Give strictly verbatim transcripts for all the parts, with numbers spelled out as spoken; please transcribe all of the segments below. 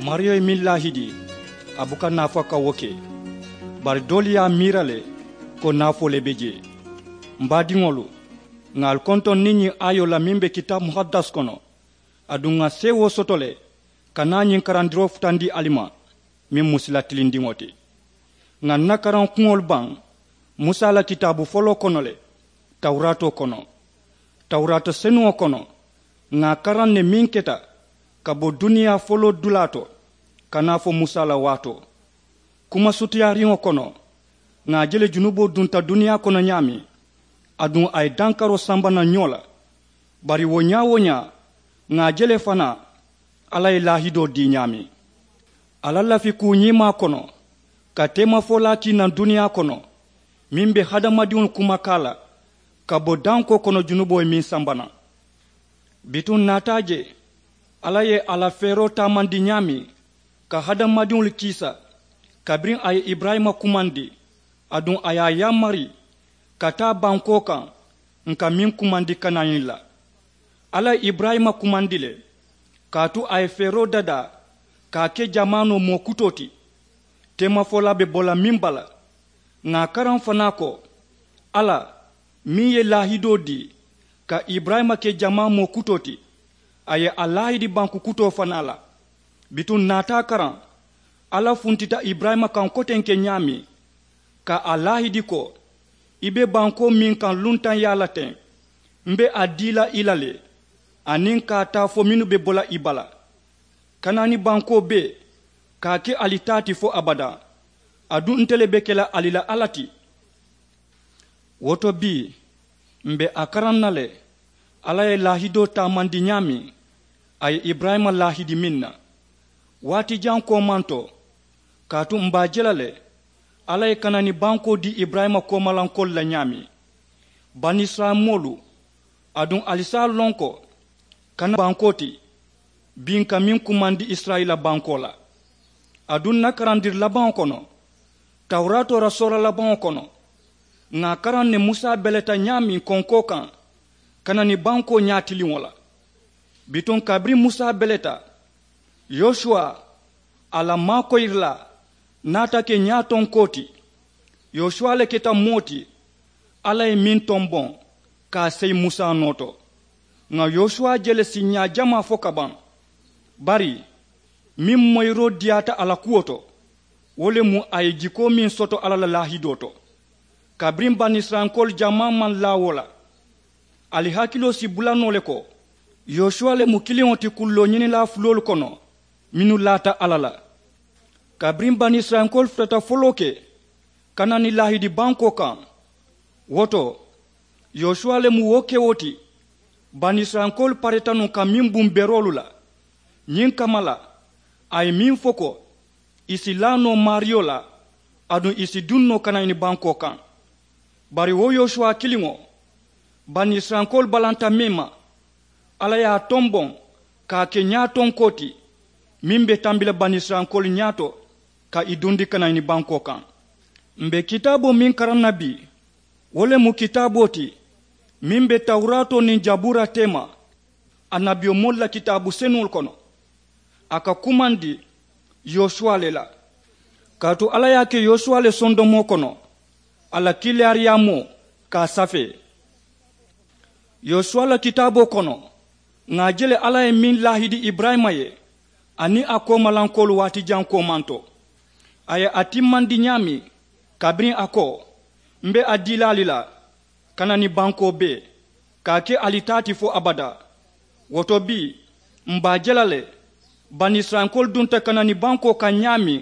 Maariyo ye meŋ laahidi, a buka naafa ka wo ke. Bari doolu ye a miira le ko naafoo le be jee. M baadiŋolu, ŋà ali kontoŋ niŋ ñiŋ aayoo la meŋ be kitaabu muhaddas kono, aduŋ ŋà seewoo soto le ka naa ñiŋ karandiroo futandi ali ma, meŋ mu sila tilindiŋo ti. Ŋà n na karaŋ kuŋolu baŋ musa la kitaabu foloo kono le, tawuraatoo kono. Tawuraata senuŋo kono, ŋà a karaŋ ne meŋ keta ka bo duniyaa foloo dulaa to ka naa fo musa la waatoo. Kuma sutiyaariŋo kono, ŋà a je le junuboo dunta duniyaa kono ñaameŋ, aduŋ a ye dankaroo samba naŋ ñoo la. Bari wo ñaa-wo-ñaa, ŋà a je le fanaa alla ye laahidoo dii ñaameŋ. A la lafi kuu ñiimaa kono, ka teemafolaa kii naŋ duniyaa kono, meŋ be hadamadiŋolu kumakaa la ka bo dankoo kono junuboo ye meŋ samba naŋ. Bituŋ n naata a je alla ye a la feeroo taamandi ñaameŋ ka hadamadiŋolu kiisa, kabiriŋ a ye iburayima kumandi, aduŋ a ye a yaamari ka taa bankoo kaŋ, ǹ ka meŋ kumandi kanaani la. Alla ye iburayima kumandi le, kaatu a ye feeroo dadaa ka a ke jamaanoo moo kutoo ti. Teemafolaa be bo la meŋ bala, ŋà a karaŋ fanaa ko alla meŋ ye laahidoo dii ka iburayima ke jamaa moo kutoo ti, a ye a laahidi banku kutoo fanaa la. Bituŋ n naata a karaŋ alla funtita iburayima kaŋ kotenke ñaameŋ, ka a laahidi ko i be bankoo meŋ kaŋ luntaŋ yaa la teŋ, m be a dii la i la le, aniŋ ka a taa fo mennu be bo la i bala. Kanaani bankoo bee ka a ke ali taa ti fo abadaa, aduŋ nte le be ke la ali la alla ti. Wo to bii, m̀ be a karaŋ na le alla ye laahidoo taamandi ñaameŋ a ye iburayima laahidi meŋ na. Waati jaŋ koomaŋ to, kaatu m̀ be a je la le alla ye kanaani bankoo dii iburayima koomalankoolu la ñaameŋ. Banisirayila moolu, aduŋ ali si a loŋ ko kanaani bankoo ti, bii ǹ ka meŋ kumandi isirayila bankoo la. Aduŋ ǹ na karandiri labaŋo kono, tawuraatoo la soora labaŋo kono, ŋà a karaŋ ne musa beleta ñaameŋ konkoo kaŋ kanaani bankoo ñaatiliŋo la. Bituŋ kabiriŋ musa beleta, yosuwa, a la maakoyirilaa, naata ke ñaatonkoo ti. Yosuwa le keta moo ti alla ye meŋ tomboŋ ka a seyi musa noo to. Ŋà yosuwa je le siiñaa jamaa fo ka baŋ. Bari meŋ moyiroo diyaata a la kuwo to, wo le mu a ye jikoo meŋ soto alla la laahidoo to. Kabiriŋ banisirayilankoolu jamaa maŋ laa wo la, ali hakiloo si bula noo le ko yosuwa le mu kiliŋo ti kulloo ñinilaa fuloolu kono mennu laata alla la. Kabiriŋ banisirayilankoolu futata foloo ke kanaani laahidi bankoo kaŋ, wo to yosuwa le mu wo kewo ti. Banisirayilankoolu pareta nuŋ ka meŋ buŋ beroolu la. Ñiŋ kamma la, a ye meŋ fo ko ì si laa noo maariyo la, aduŋ ì si duŋ noo kanayini bankoo kaŋ. Bari wo yosuwa kiliŋo, banisirayilankoolu balanta meŋ ma, alla ye a tomboŋ ka a ke ñaatonkoo ti meŋ be tambi la banisirayilankoolu ñaato ka ì dundi kanayini bankoo kaŋ. M̀ be kitaaboo meŋ karaŋ na bii, wo le mu kitaaboo ti meŋ be tawuraatoo niŋ jabuura teema annabiyomoolu la kitaabu senuŋolu kono. A ka kumandi yosuwa le la, kaatu alla ye a ke yosuwa le sondomoo kono a la kiilaariyaamoo ka a safee. Yosuwa la kitaaboo kono, ŋà a je le alla ye meŋ laahidi iburayima ye aniŋ a koomalankoolu waati jaŋ koomanto. A ye a timmandi ñaameŋ, kabiriŋ a ko, m be a dii la ali la kanani bankoo bee, ka a ke ali taa ti fo abadaa. Wo to bii, m be a je la le banisirayilankoolu dunta kanani bankoo kaŋ ñaameŋ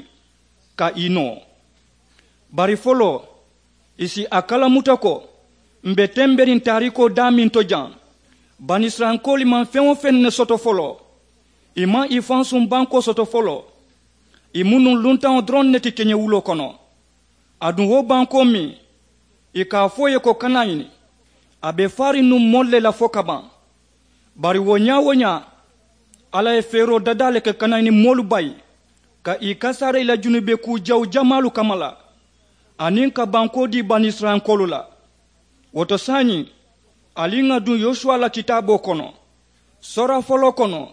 ka ì noo. Bari foloo, ì si a kalamuta ko m be temberiŋ taariikoo daameŋ to jaŋ, banisirayilankoolu maŋ feŋ-wo-feŋ ne soto foloo. Ì maŋ ì fansuŋ bankoo soto foloo. Ì mu nuŋ luntaŋo doroŋ ne ti keñewuloo kono. Aduŋ wo bankoo meŋ ì ka a fo ì ye ko kanayini, a be faariŋ nuŋ moolu le la fo ka baŋ. Bari wo ñaa-wo-ñaa, alla ye feeroo dadaa le ka kanayini moolu bayi ka ì kasaara ì la junube kuu jawu jamaalu kamma la, aniŋ ka bankoo dii banisirayilankoolu la. Wo to saayiŋ, ali ŋà duŋ yosuwa la kitaaboo kono, soora foloo kono,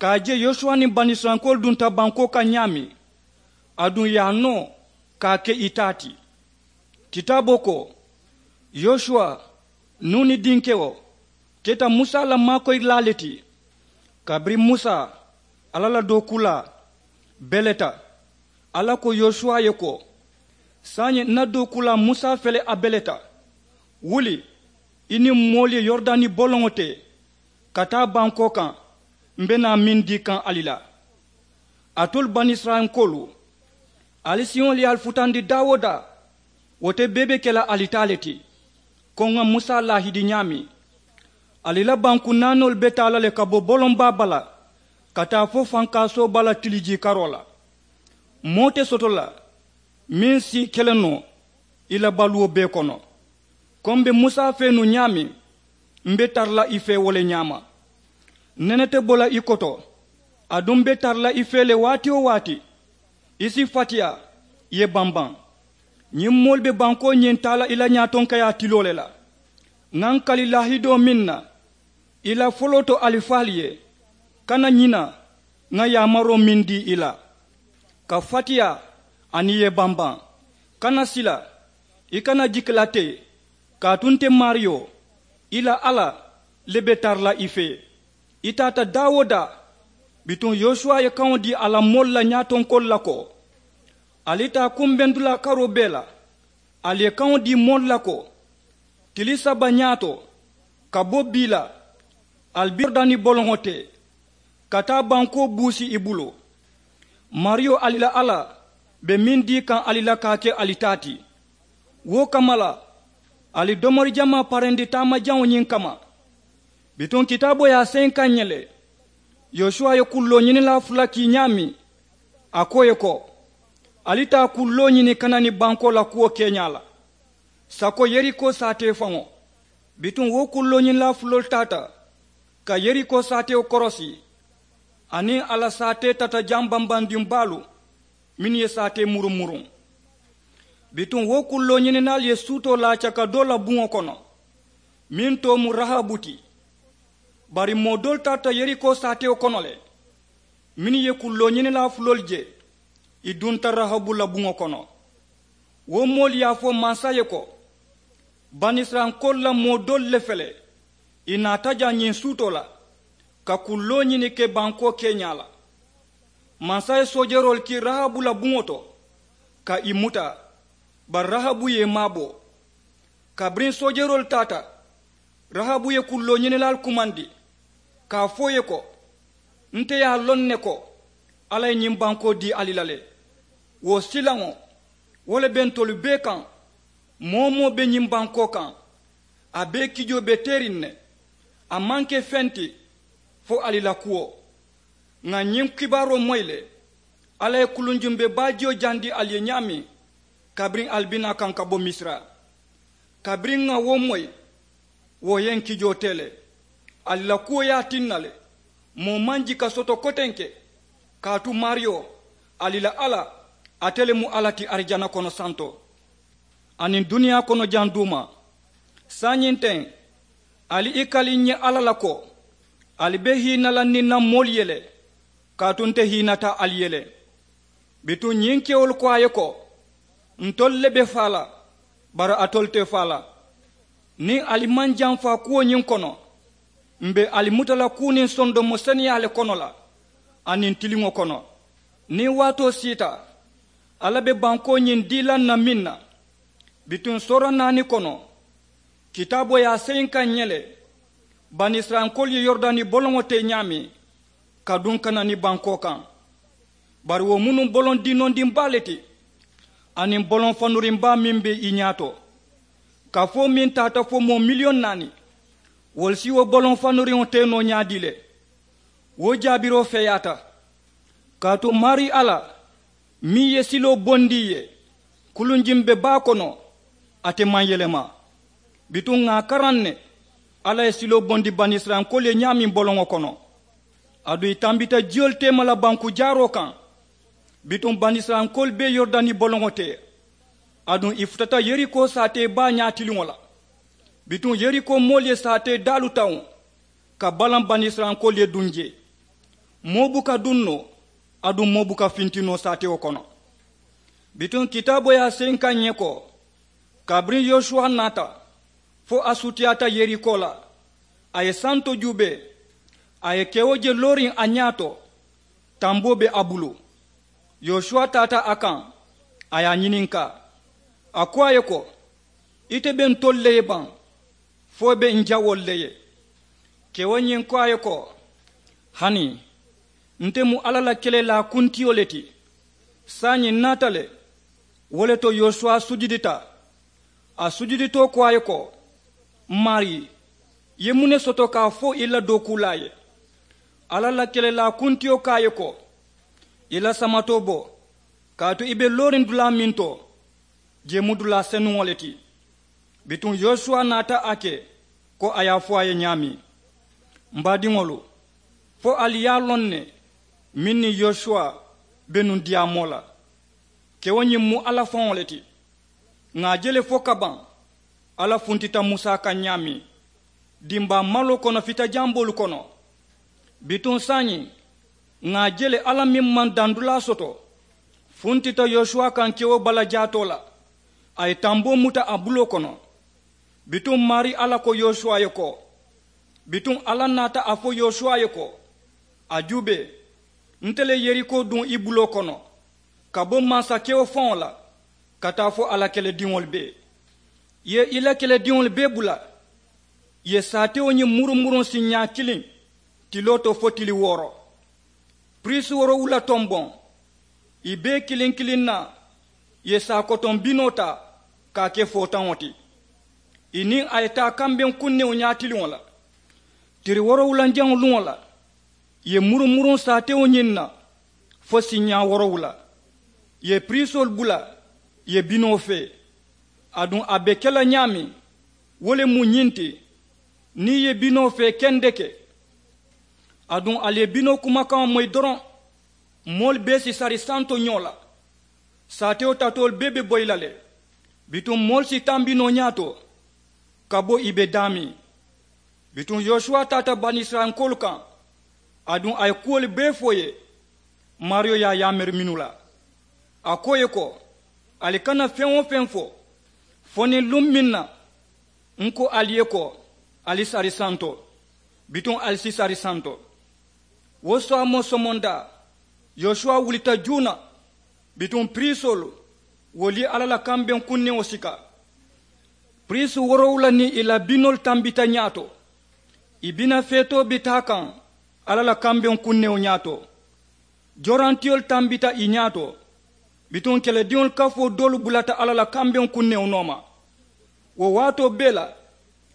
ka a je yosuwa niŋ banisirayilankoolu dunta bankoo kaŋ ñaameŋ, aduŋ ì ye a noo ka a ke ì taa ti. Kitaaboo ko, yosuwa, nuuni dinkewo, keta musa la maakoyilaa le ti. Kabiriŋ musa, alla la dookuulaa, beleta, alla ko yosuwa ye ko, saayiŋ n na dookuulaa musa fele a beleta. Wuli, i niŋ moolu ye yoridani boloŋo te ka taa bankoo kaŋ, m be naa meŋ dii kaŋ ali la. Alitolu banisirayilankoolu, ali siŋolu ye ali futandi daa-wo-daa, wo te bee be ke la ali taa le ti. Ko ŋa musa laahidi ñaameŋ, ali la banku naanoolu be taa la le ka bo boloŋ baa bala ka taa fo fankaasoo bala tilijii karoo la. Moo te soto la meŋ si ke le noo i la baluwo bee kono. Ko m be musa fee nuŋ ñaameŋ, m be tara la i fee wo le ñaama. Nene te bo la i koto, aduŋ m be tara la i fee le waati-wo-waati. I si fatiyaa, i ye bambaŋ. Ñiŋ moolu be bankoo ñiŋ taa la i la ñaatonkayaa tiloo le la. Ŋa n kali laahidoo meŋ na i la foloo to alifaalu ye, kana ñina ŋa yaamaroo meŋ dii i la. Ka fatiyaa aniŋ i ye bambaŋ, kana sila, i kana jiki la teŋ. Kaatu nte maariyo, i la alla le be tara la i fee. I taata daa-wo-daa. Bituŋ yosuwa ye kaŋo dii a la moolu la ñaatonkoolu la ko, ali taa kumbendulaa karoo bee la. Ali ye kaŋo dii moolu la ko, tili saba ñaato ka bo bii la, ali be yoridani boloŋo te ka taa bankoo buusi i bulu. Maariyo ali la alla be meŋ dii kaŋ ali la ka a ke ali taa ti. Wo kamma la, ali domori jamaa parendi taama jaŋo ñiŋ kamma. Bituŋ kitaaboo ye a seyi kaŋ ǹ ye le, yosuwa ye kulloo ñininlaa fula kii ñaameŋ, a ko ì ye ko, ali taa kulloo ñini kanani bankoo la kuwo keeñaa la. Sako yeriko saatee faŋo. Bituŋ wo kulloo ñininlaa fuloolu taata ka yeriko saatewo korosi, aniŋ a la saatee tata jaŋ bambandiŋ baalu mennu ye saatee muruŋ-muruŋ. Bituŋ wo kulloo ñininaalu ye suutoo laaca ka doo la buŋo kono, meŋ too mu rahabu ti. Bari moo doolu tarata yeriko saatewo kono le, mennu ye kulloo ñininlaa fuloolu je, ì dunta rahabu la buŋo kono. Wo moolu ye a fo mansa ye ko, banisirayilankoolu la moo doolu le fele, ì naata jaŋ ñiŋ suutoo la ka kulloo ñini ke bankoo keeñaa la. Mansa ye soojeroolu kii rahabu la buŋo to ka ì muta, bari rahabu ye ì maabo. Kabiriŋ soojeroolu taata, rahabu ye kulloo ñininaalu kumandi ka a fo ì ye ko, nte ye a loŋ ne ko alla ye ñiŋ bankoo dii ali la le. Wo silaŋo, wo le be ntolu bee kaŋ. Moo-wo-moo be ñiŋ bankoo kaŋ, a bee kijoo be teeriŋ ne. A maŋ ke feŋ ti fo ali la kuwo. Ŋà ñiŋ kibaaroo moyi le, alla ye kulunjumbe baajiyo jandi ali ye ñaameŋ, kabiriŋ ali bi naa kaŋ ka bo misira. Kabiriŋ ŋà wo moyi, wo ye ǹ kijoo tee le. Ali la kuwo ye a tinna le, moo maŋ jika soto kotenke. Kaatu maariyo, ali la alla, ate le mu alla ti arijana kono santo aniŋ duniyaa kono jaŋ duuma. Saayiŋ teŋ, ali i kali ǹ ye alla la ko, ali be hiina la niŋ ǹ na moolu ye le, kaatu nte hiinata ali ye le. Bituŋ ñiŋ kewolu ko a ye ko, ntolu le be faa la, bari alitolu te faa la. Niŋ ali maŋ jamfaa kuwo ñiŋ kono, m̀ be ali muta la kuu niŋ sondomo seneyaa le kono la, aniŋ tiliŋo kono. Niŋ waatoo siita, alla be bankoo ñiŋ dii la ǹ na meŋ na. Bituŋ soora naani kono, kitaaboo ye a seyi ǹ kaŋ ǹ ye le, banisirayilankoolu ye yoridani boloŋo te ñaameŋ ka duŋ kanani bankoo kaŋ. Bari wo mu nuŋ boloŋ dinondiŋ baa le ti, aniŋ boloŋ fanuriŋ baa meŋ be i ñaato. Kafoo meŋ taata fo moo miliyoŋ naani, wolu si wo boloŋ fanuriŋo tee noo ñaadii le? Wo jaabiroo feeyaata. Kaatu maarii alla, meŋ ye siloo bondi ì ye, kulunjiŋ be baa kono, ate maŋ yelema. Bituŋ ŋà a karaŋ ne, alla ye siloo bondi banisirayilankoolu ye ñaameŋ boloŋo kono. Aduŋ ì tambita jiyolu teema la banku jaaroo kaŋ. Bituŋ banisirayilankoolu be yoridani boloŋo te, aduŋ ì futata yeriko saatee baa ñaatiliŋo la. Bituŋ yeriko moolu ye saatee daalu tawuŋ ka balaŋ banisirayilankoolu ye duŋ jee. Moo buka duŋ noo aduŋ moo buka finti noo saatewo kono. Bituŋ kitaaboo ye a senkaŋ ǹ ye ko, kabiriŋ yosuwa naata fo a sutiyaata yeriko la, a ye santo juubee, a ye kewo je looriŋ a ñaa to, tamboo be a bulu. Yosuwa taata a kaŋ, a ye a ñininkaa, a ko a ye ko, ite be ntolu le ye baŋ fo i be ǹ jawoolu le ye? Kewo ñiŋ ko a ye ko, hani nte mu alla la kelelaa kuntiyo le ti. Saayiŋ ǹ naata le. Wo le to yosuwa sujudita. A sujuditoo ko a ye ko, maarii, i ye muŋ ne soto ka a fo i la dookuulaa ye? Alla la kelelaa kuntiyo ko a ye ko, i la samatoo bo, kaatu i be looriŋ dulaa meŋ to, jee mu dulaa senuŋo le ti. Bituŋ yosuwa naata a ke ko a ye a fo a ye ñaameŋ. M baadiŋolu, fo ali ye a loŋ ne, meŋ niŋ yosuwa be nuŋ diyaamoo la, kewo ñiŋ mu alla faŋo le ti. Ŋà a je le fo kabaŋ alla funtita musa kaŋ ñaameŋ, dimbaa maloo kono fita jamboolu kono. Bituŋ saayiŋ ŋà a je le alla meŋ maŋ dandulaa soto funtita yosuwa kaŋ kewo bala jaatoo la, a ye tamboo muta a buloo kono. Bituŋ maarii alla ko yosuwa ye ko, bituŋ alla naata a fo yosuwa ye ko, a juubee, nte le yeriko duŋ i buloo kono ka bo mansa kewo faŋo la ka taa fo a la kelediŋolu bee. I ye i la kelediŋolu bee bula. I ye saatewo ñiŋ murumuruŋ siñaa kiliŋ tiloo to fo tili wooro. Piriisi woorowula tomboŋ, i bee kiliŋ kiliŋ na i ye saakotoŋ binoo taa ka a ke footaŋo ti. I niŋ a ye taa kambeŋ kunnewo ñaatiliŋo la tiri woorowulanjaŋo luŋo la. I ye murumuruŋ saatewo ñiŋ na fo siñaa woorowula. I ye piriisoolu bula i ye binoo fee. Aduŋ a be ke la ñaameŋ, wo le mu ñiŋ ti, niŋ i ye binoo fee kendeke, aduŋ ali ye binoo kumakaŋo moyi doroŋ, moolu bee si sari santo ñoo la. Saatewo tatoolu bee be boyi la le. Bituŋ moolu si tambi noo ñaato ka bo i be daameŋ. Bituŋ yosuwa taata banisirayilankoolu kaŋ, aduŋ a ye kuwolu bee fo i ye. Maariyo ye a yaamari mennu la, a ko i ye ko, ali kana feŋ-wo-feŋ fo fo niŋ luŋ meŋ na ǹ ko ali ye ko, ali sari santo. Bituŋ ali si sari santo. Wo saamoo somondaa, yosuwa wulita juuna. Bituŋ piriisoolu, wolu ye alla la kambeŋ kunnewo sika. Piriisi woorowula niŋ i la binoolu tambita ñaato. I bina feetoo bi taa kaŋ alla la kambeŋ kunnewo ñaato. Jorantiyoolu tambita i ñaato. Bituŋ kelediŋolu kafoo doolu bulata alla la kambeŋ kunnewo nooma. Wo waatoo bee la,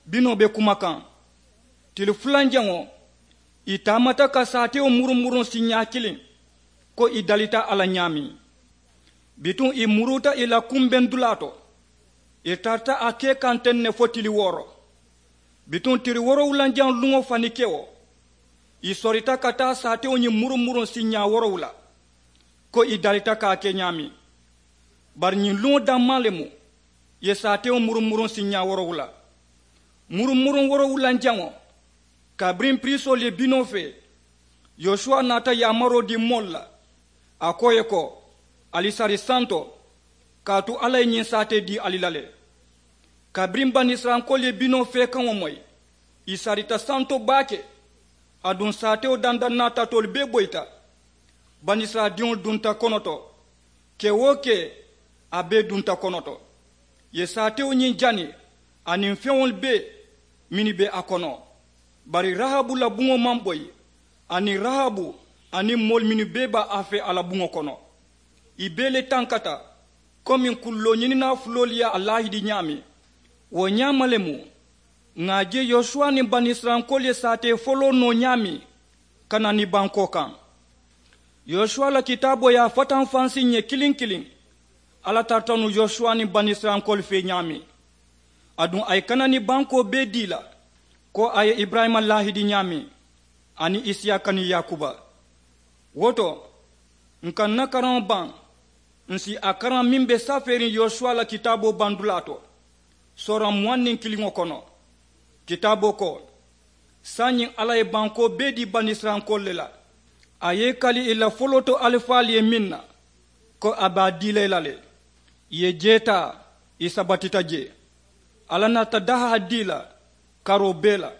binoo be kuma kaŋ. Tili fulanjaŋo, i taamata ka saatewo murumuruŋ siñaa kiliŋ ko i dalita a la ñaameŋ. Bituŋ i muruuta i la kumbeŋ dulaa to. I tarata a kee kaŋ teŋ ne fo tili wooro. Bituŋ tili woorowulanjaŋ luŋo fanikewo, i sorita ka taa saatewo ñiŋ murumuruŋ siñaa woorowula ko i dalita ka a ke ñaameŋ. Bari ñiŋ luŋo dammaa le mu i ye saatewo murumuruŋ siñaa woorowula. Murumuruŋ woorowulanjaŋo, kabiriŋ piriisoolu ye binoo fee, yosuwa naata yaamaroo dii moolu la, a ko i ye ko, ali sari santo, kaatu alla ye ñiŋ saatee dii ali la le. Kabiriŋ banisirayilankoolu ye binoo feekaŋo moyi, i sarita santo baake. Aduŋ saatewo dandaŋ naata toolu bee boyita. Banisirayila diŋolu dunta kono to. Kee-wo-kee, a bee dunta kono to. I ye saatewo ñiŋ jani aniŋ feŋolu bee mennu be a kono. Bari rahabu la buŋo maŋ boyi, aniŋ rahabu aniŋ moolu mennu bee be a fee a la buŋo kono. I bee le tankata komiŋ kulloo ñininaa fuloolu ye a laahidi ñaameŋ. Wo ñaama le mu ŋà a je yosuwa niŋ banisirayilankoolu ye saatee foloo noo ñaameŋ kanani bankoo kaŋ. Yosuwa la kitaaboo ye a fatanfansi ǹ ye kiliŋ kiliŋ. Alla tarata nuŋ yosuwa niŋ banisirayilankoolu fee ñaameŋ. Aduŋ a ye kanani bankoo bee dii i la ko a ye iburayima laahidi ñaameŋ, aniŋ isiyaaka niŋ yaakuba. Wo to, ǹ ka ǹ na karaŋo baŋ, ǹ si a karaŋ meŋ be safeeriŋ yosuwa la kitaaboo bandulaa to, sooraŋ muwaŋ niŋ kiliŋo kono. Kitaaboo ko, saayiŋ alla ye bankoo bee dii banisirayilankoolu le la. A ye i kali i la foloo to alifaalu ye meŋ na, ko a be a dii la i la le. I ye jee taa, i sabatita jee. Alla naata dahaa dii i la karoo bee la,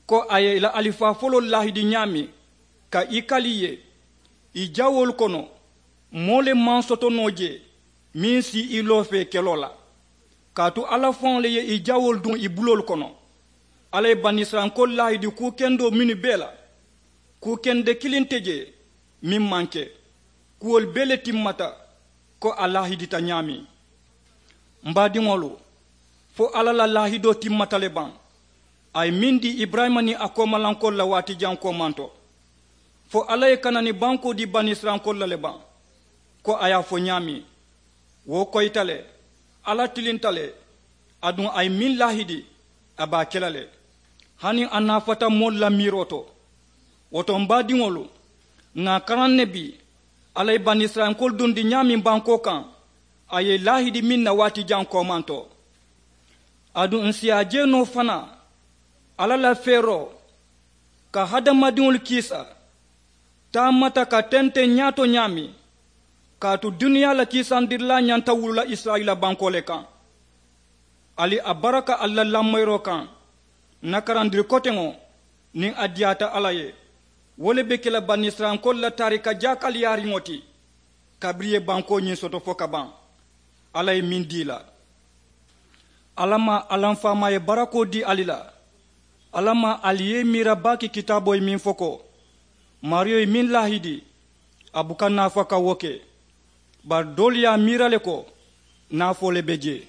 ko a ye i la alifaa foloolu laahidi ñaameŋ ka i kali i ye. I jawoolu kono, moo le maŋ soto noo jee meŋ si i loofee keloo la. Kaatu alla faŋo le ye i jawoolu duŋ i buloolu kono. Alla ye banisirayilankoolu laahidi kuu kendoo mennu bee la, kuu kende kiliŋ te jee meŋ maŋ ke. Kuwolu bee le timmata ko a laahidita ñaameŋ. M baadiŋolu, fo alla la laahidoo timmata le baŋ? A ye meŋ dii iburayima niŋ a koomalankoolu la waati jaŋ koomaŋ to. Fo alla ye kanani bankoo dii banisirayilankoolu la le baŋ? Ko a ye a fo ñaameŋ, wo koyita le. Alla tilinta le. Aduŋ a ye meŋ laahidi, a be a ke la le. Hani a naafata moolu la miiroo to. Wo to m baadiŋolu, ŋà a karaŋ ne bii, alla ye banisirayilankoolu dundi ñaameŋ bankoo kaŋ, a ye i laahidi meŋ na waati jaŋ koomaŋ to. Aduŋ ǹ si a je noo fanaa, alla la feeroo ka hadamadiŋolu kiisa taamata ka tenteŋ ñaato ñaameŋ. Kaatu duniyaa la kiisandirilaa ñanta wulula isirayila bankoo le kaŋ. Ali a baraka ali la lamoyiroo kaŋ. N na karandiri koteŋo, niŋ a diyaata alla ye, wo le be ke la banisirayilankoolu la taarika jaakaliyaariŋo ti. Kabiriŋ i ye bankoo ñiŋ soto fo ka baŋ, alla ye meŋ dii i la. Alla maa alla m faamaa ye barakoo dii ali la. Alla maa ali ye i miira baake kitaaboo ye meŋ fo ko, maariyo ye meŋ laahidi, a buka naafa ka wo ke. Bari doolu ye a miira le ko, naafoo le be jee.